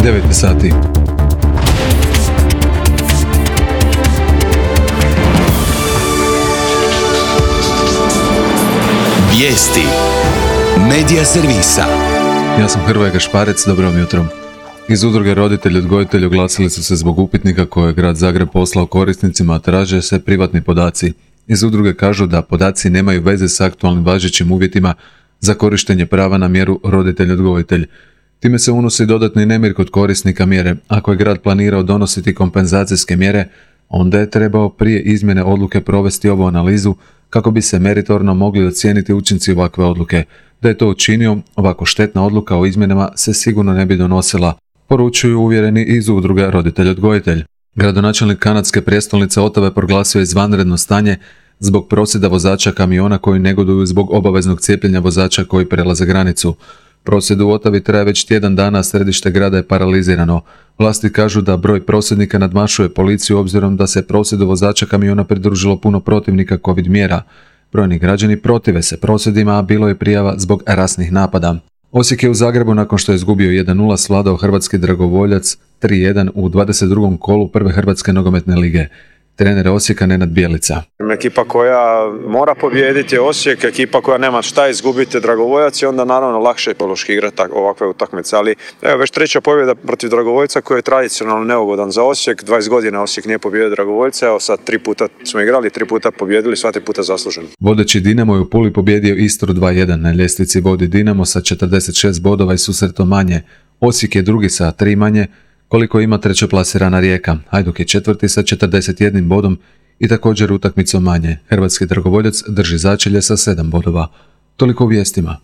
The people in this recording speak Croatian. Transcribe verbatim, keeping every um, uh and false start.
devet sati. Vijesti Medija servisa. Ja sam Hrvoje Gašparec, dobro vam jutro. Iz udruge roditelji odgojitelji oglasili su se zbog upitnika koje je grad Zagreb poslao korisnicima, a traže se privatni podaci. Iz udruge kažu da podaci nemaju veze s aktualnim važećim uvjetima za korištenje prava na mjeru roditelj odgojitelj. Time se unosi dodatni nemir kod korisnika mjere. Ako je grad planirao donositi kompenzacijske mjere, onda je trebao prije izmjene odluke provesti ovu analizu kako bi se meritorno mogli ocijeniti učinci ovakve odluke. Da je to učinio, ovako štetna odluka o izmjenama se sigurno ne bi donosila, poručuju uvjereni iz udruge roditelj odgojitelj. Gradonačelnik kanadske prijestolnice Otave proglasio je izvanredno stanje zbog prosvjeda vozača kamiona koji negoduju zbog obaveznog cijepljenja vozača koji prelaze granicu. Prosvjed u Otavi traje već tjedan dana, a središte grada je paralizirano. Vlasti kažu da broj prosvjednika nadmašuje policiju obzirom da se prosvjedu vozača kamiona pridružilo puno protivnika covid mjera. Brojni građani protive se prosvjedima, a bilo je prijava zbog rasnih napada. Osijek je u Zagrebu nakon što je izgubio jedan nula svladao hrvatski dragovoljac tri jedan u dvadeset drugom kolu prve Hrvatske nogometne lige. Trener Osijeka Nenad Bjelica. Ekipa koja mora pobijediti je Osijek, ekipa koja nema šta izgubiti Dragovoljac i onda naravno lakše je pološki igrati ovakve utakmice. Ali evo već treća pobjeda protiv Dragovoljca koji je tradicionalno neugodan za Osijek. dvadeset godina Osijek nije pobijedio Dragovoljca, evo sad tri puta smo igrali, tri puta pobijedili, sva tri puta zasluženo. Vodeći Dinamo je u Puli pobijedio Istru dva jedan. Na ljestvici vodi Dinamo sa četrdeset šest bodova i susretom manje. Osijek je drugi sa tri manje, koliko ima trećeplasirana Rijeka. Hajduk je četvrti sa četrdeset jednim bodom i također utakmicom manje. Hrvatski dragovoljac drži začelje sa sedam bodova. Toliko u vijestima.